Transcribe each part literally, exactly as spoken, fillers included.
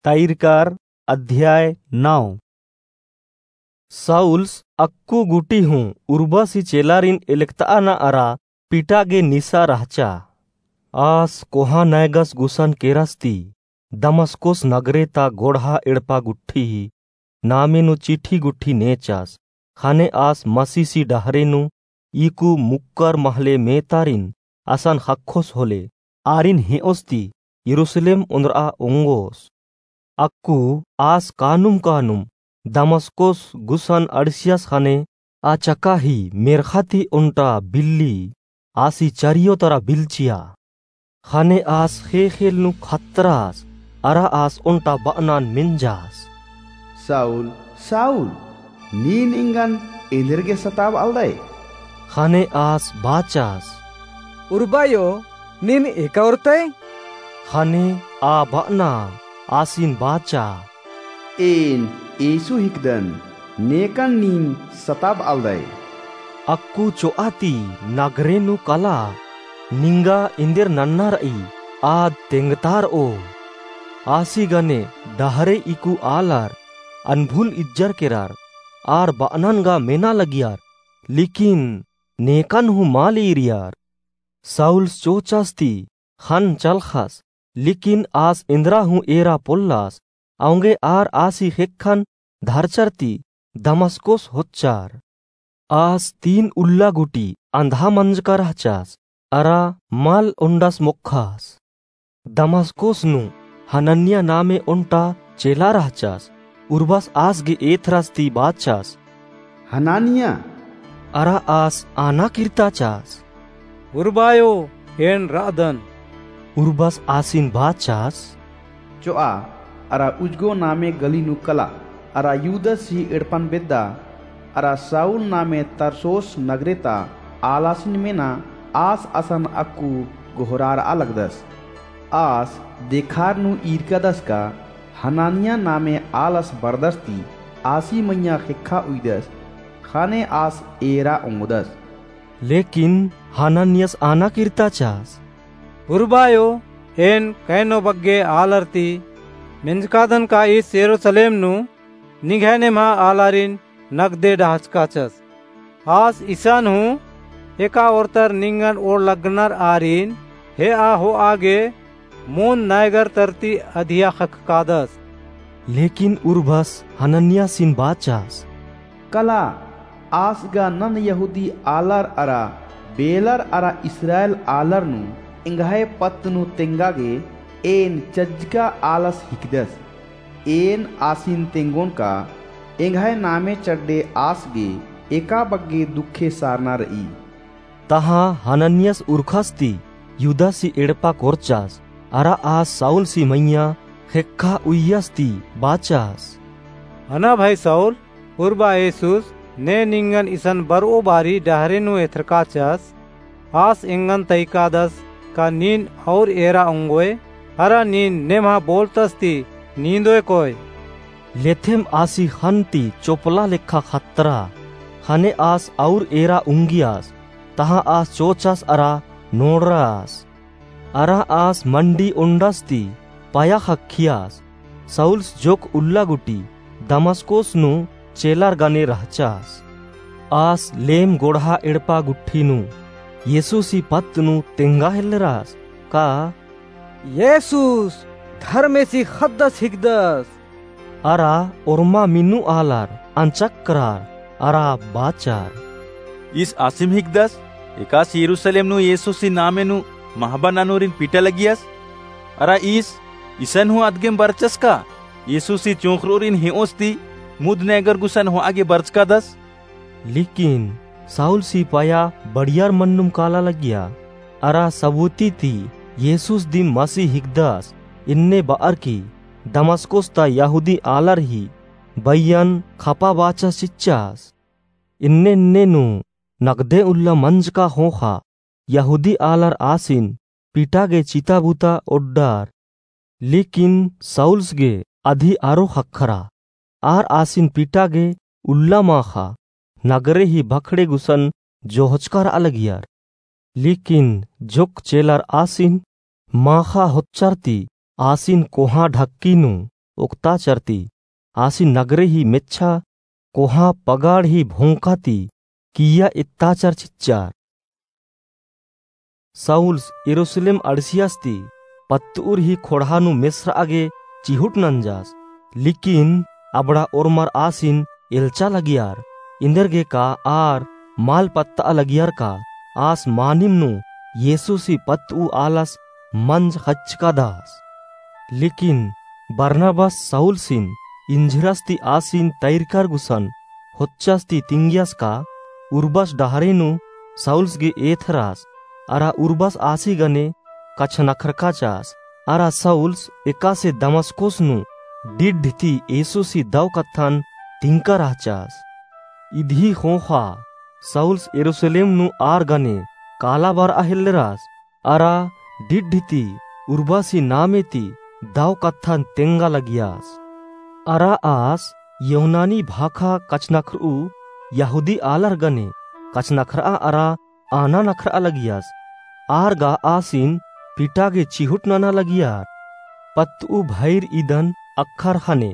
तैरकार। अध्याय नौ। साउल्स अक्कु गुटी हूँ उर्बसी चेलारिन एलकतअना अरा पिटा गे निसा रहचा। आस कोहाँ नैगस गुसन केरस ती दमस्कोस नगरे ता गोड़हा एड़पा गुट्ठी ही नामे नू चिठी गुट्ठी नेचस। ख़ने आस मसीसी डहरे नू ईकु मुक्कर महले मेतारिन असन ख़क्खोस होले, आरिन हेओस ती यरूसलेम ओन्द्रआ ओंगोस। अक्कु आस कानुम कानुम दमस्कोस गुसन अंड़सियस ख़ने अचका ही मेर्ख़ा ती ओन्टा बिल्ली आसी चरियो तरा बिल्चिया। ख़ने आस ख़ेख़ेल नू ख़तरस, अरा आस ओन्टा बअनन मेंजस, "साउल, साउल, नीन एंगन एन्देरगे सताबअलदय?" ख़ने आस बाचस, "उर्बायो, नीन एका ओर्तय?" ख़ने आ बअना आसिन बाचा, "एन येसु हिकदन, नेकन नीन सताबअलदय।" अक्कु चोआ ती नगरे नू कला, निंगा एन्देर नन्ना रई, आद तेंगतारओ। आसी गने डहरे इकु आलर अनभुल इज्जर केरर, आर बअनन गा मेना लगियर, लेकिन नेकन हूँ मल ईरियर। साउल्स चोचस ती ख़न्न चलख़स, लेकिन आस एन्दरा हूँ एरा पोल्लस, औंगे आर आसी ख़ेक्खन धरचर ती दमस्कोस होच्चर। आस तीन उल्ला गुटी अंधा मंजका रहचस, अरा मल ओन्डस मोक्खस। दमस्कोस नू हनन्या नामे ओन्टा चेला रहचस, उर्बस आस गे एथरस ती बाचस, "हनन्या!" अरा आस आना किर्ताचस, "उर्बायो, एन रअदन।" उर्बस आसिन बाचस, "चोआ, अरा उजगो नामे गली नू कला, अरा यूदस ही एड़पन बेद्दा, अरा साउल नामे तरसोस नगरे ता आलासिन मेना, आस असन अक्कु गोहरारआ लगदस। आस देखार नू ईरकादस का हनन्या नामे आलस बरदस ती आसी मइय्याँ ख़ेक्खा उइदस, ख़ने आस एरा ओंगदस।" लेकिन हनन्यस आना किर्ताचस, "उर्बायो, एन कैनो बग्गे आलर ती मेंजकादन का ईस यरूसलेम नू निंग्है नेम्हा आलारिन नगदे डहचकाचस। आस इसन हूँ एका ओर्तर निंगन ओड़ लगनर आरिन हेआ होआ गे मुन्द नैगर तरती अधिया ख़क्खकादस।" लेकिन उर्बस हनन्यासिन बाचस, "कला, आस गा नन यहूदी आलर अरा बेलर अरा इस्राएल आलर नू एंग्है पत्त नू तेंगा गे एन चज्जका आलस हिकदस। एन आसिन तेंगोन का एंग्है नामे चड्डे आस गे एका बग्गे दुखे सारना रई।" तहाँ हनन्यस उरखस ती यूदसी एड़पा कोरचस, अरा आस साउलसी मइय्याँ ख़ेक्खा उइय्यस ती बाचस, "हना भाई साउल, उर्बा येसुस ने निंगन इसन बरओ बारी डहरे नू एथरकाचस, आस एंगन तइकादस का नीन और एरा ओंगोय, अरा नीन नेम्हा बोलतस ती नींदोय कोय?" लेथेम आसी ख़न्न ती चोपला लेखा ख़त्तरा, ख़ने आस और एरा उंगियस, तहाँ आस चोचस अरा नोड़रस। अरा आस मंडी ओंडस ती पया ख़क्खियस। साउलस जोक उल्ला गुटी दमस्कोस नू चेलर गने रहचस। आस लेम गोड़हा एड़पा गुट्ठी नू येसुसी पत्त नू तेंगा हेल्लरस का येसुस धर्मेसी ख़द्दस हिकदस। अरा ओर्मा मिन्नु आलर अंचक्रार अरा बाचर, ईस आसिम हिकदस, एकासे यरूसलेम नू येसुसी नामे नू महबा ननोरिन पीटा लगियस। अरा ईस इसन हूँ अदगेम बरचस का येसुसी चोंख़रोरिन हेओस ती मुद नैगर गुसन होआ गे बरचकादस। लेकिन साउलसी पया बढ़ियर मन्नुम काला लगिया, अरा सबूती ती येसुस दिम मसीह हिकदस, इन्ने बअर की दमस्कोस ता यहूदी आलर ही बइयन खपा बाचस चिच्चस। इन्ने इन्ने नू नगदे उल्ला मंजका ख़ोख़ा यहूदी आलर आसिन पीटा गे चिता बुता ओड्डर। लेकिन साउलस गे अदी आरो ख़क्खरा। आर आसिन पीटा गे उल्ला माख़ा नगरे ही भखड़े गुसन जोहचका रआ लगियर। लेकिन जोक चेलर आसिन माख़ा होच्चर ती आसिन कोहाँ ढक्की नू ओक्ताचर ती, आसिन नगरे ही मेच्छा कोहाँ पगाड़ ही भोंका ती किइय्या एत्ताचर चिच्चर। साउल्स यरूसलेम अंड़सियस ती पत्तउर ही खोंड़हा नू मेसरआ गे चिहुट नंजस, लेकिन अबड़ा ओर्मर आसिन एल्चा लगियर, एन्देरगे का आर मल पत्तआ लगियर का आस मानिम नू येसुसी पत्तउ आलस मंज ख़च्चकादस। लेकिन बरनबास साउल्सिन इंझिरस ती आसिन तैरकर गुसन होच्चस ती तिंगियस का उर्बस डहरे नू साउल्स गे एथरस, अरा उर्बस आसी गने कछनखरकाचस, अरा साउल्स एकासे दमस्कोस नू डिड्ढ ती येसुसी दव कत्थन तिंका रहचस। इदही ख़ोख़ा साउल्स यरूसलेम नू आर गने काला बरआ हेल्लरस, अरा डिड्ढ ती उर्बासी नामे ती दव कत्थन तेंगा लगियस। अरा आस यूनानी भाखा कछनखरऊ यहूदी आलर गने कछनखरआ अरा आना नखरआ लगियस। आर गा आसिन पिटा गे चिहुट नना लगियर। पत्तउ भइर इदन अक्खर ख़ने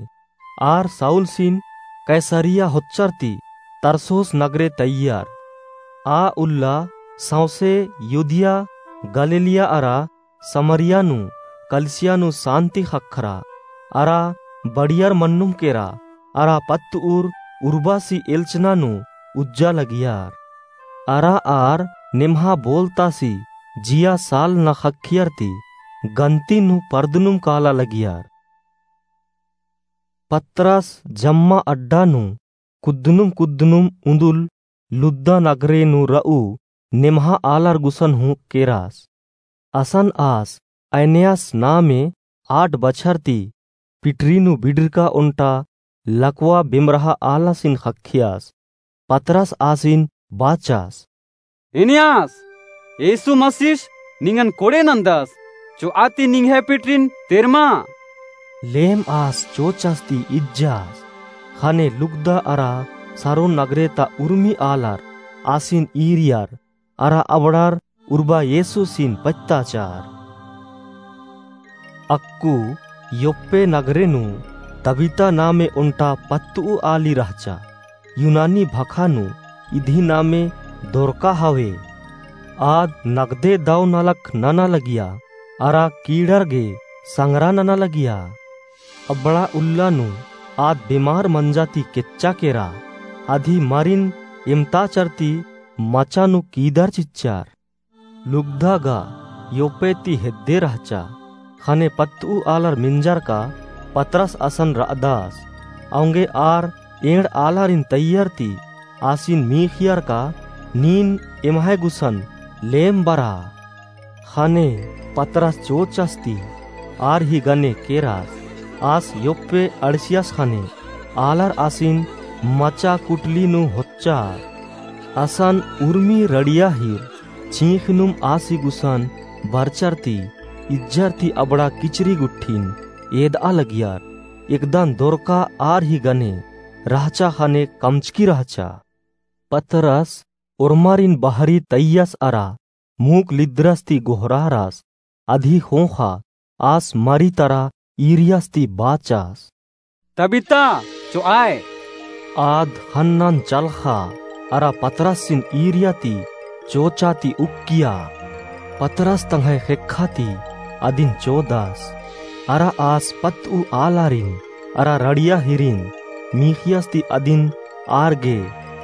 आर साउल्सिन कैसरिया होच्चर ती तरसोस नगरे तइयर। आ उल्ला सौंसे युदिया, गलीलिया अरा समरिया नू कलिसिया नू सान्ति ख़क्खरा, अरा बड़ियर मन्नुम केरा, अरा पत्तउर उर्बासी एल्चना नू उज्जा लगियर। अरा आर नेम्हा बोलतासी जिया सालना ख़क्खियर ती गन्ती नू परदनुम काला लगियर। पतरस जम्मा अड्डा नू कुद्दनुम कुद्दनुम उन्दुल लुद्दा नगरे नू रऊ नेम्हा आलर गुसन हूँ केरस। असन आस ऐनेयास नामे आठ बछर ती पिटरी नू बिड़रका ओन्टा लकवा बेमरहा आलासिन ख़क्खियस। पतरस आसिन बाचस, "एनेयास, येसु मसीस निंगन कोड़े नन्दस, चोआ ती निंग्है पिटरिन तेरमा।" लेम आस चोचस ती इज्जस। ख़ने लुग्दा अरा सारोन नगरे ता उर्मी आलर आसिन ईरियर, अरा अबड़ार उर्बा येसुसिन पत्ताचर। अक्कु योप्पे नगरे नू तबीता नामे ओन्टा पत्तउ आली रहचा। यूनानी भखा नू इदही नामे दोरका हवे। आद नगदे दव नलख नना लगिया, अरा कीड़र गे संगरा नना लगिया। अबड़ा उल्ला नू आद बेमार मंजा ती केच्चा केरा, अदही मरिन एमताचर ती मचा नू कीदर चिच्चर। लुग्दा गा योप्पे ती हेद्दे रहचा। ख़ने पत्तउ आलर मेंजर का पतरस असन रअदस। औंगे आर एंड़ आलारिन तइयर ती आसिन मीख़ियर का नीन एम्है गुसन लेम बरा। ख़ने पतरस चोचस ती आर ही गने केरस। आस योप्पे अंड़सियस ख़ने आलर आसिन मचा कुटली नू होच्चर। असन उर्मी रड़िया हीर चींख़नुम आसी गुसन बरचर ती इज्जर ती अबड़ा किचरी गुट्ठिन एदआ लगियर। एकदन दोरका आर ही गने रहचा ख़ने कमचकी रहचा। पतरस ओर्मारिन बहरी तइयस अरा मूक लिद्दरस ती गोहरारस। अदही ख़ोख़ा आस मरी तरा ईरियस ती बाचस, "तबीता, चोआय।" आद ख़न्नन चलख़ा अरा पतरसिन ईरिया ती चोचा ती उक्किया। पतरस तंग्है ख़ेक्खा ती अदिन चोदस। अरा आस पत्तउ आलारिन अरा रड़िया हीरिन मीख़ियस ती अदिन आर गे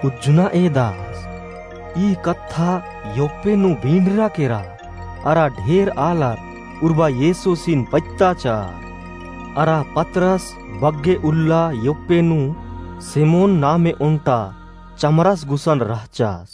उज्जना एदस। ई कत्था योप्पे नू बींडरा केरा। अरा ढेर आलर उर्बा येसुसिन पत्ताचर। अरा पतरस बग्गे उल्ला योप्पे नू सिमोन नामे ओन्टा चमरस गुसन रहचस।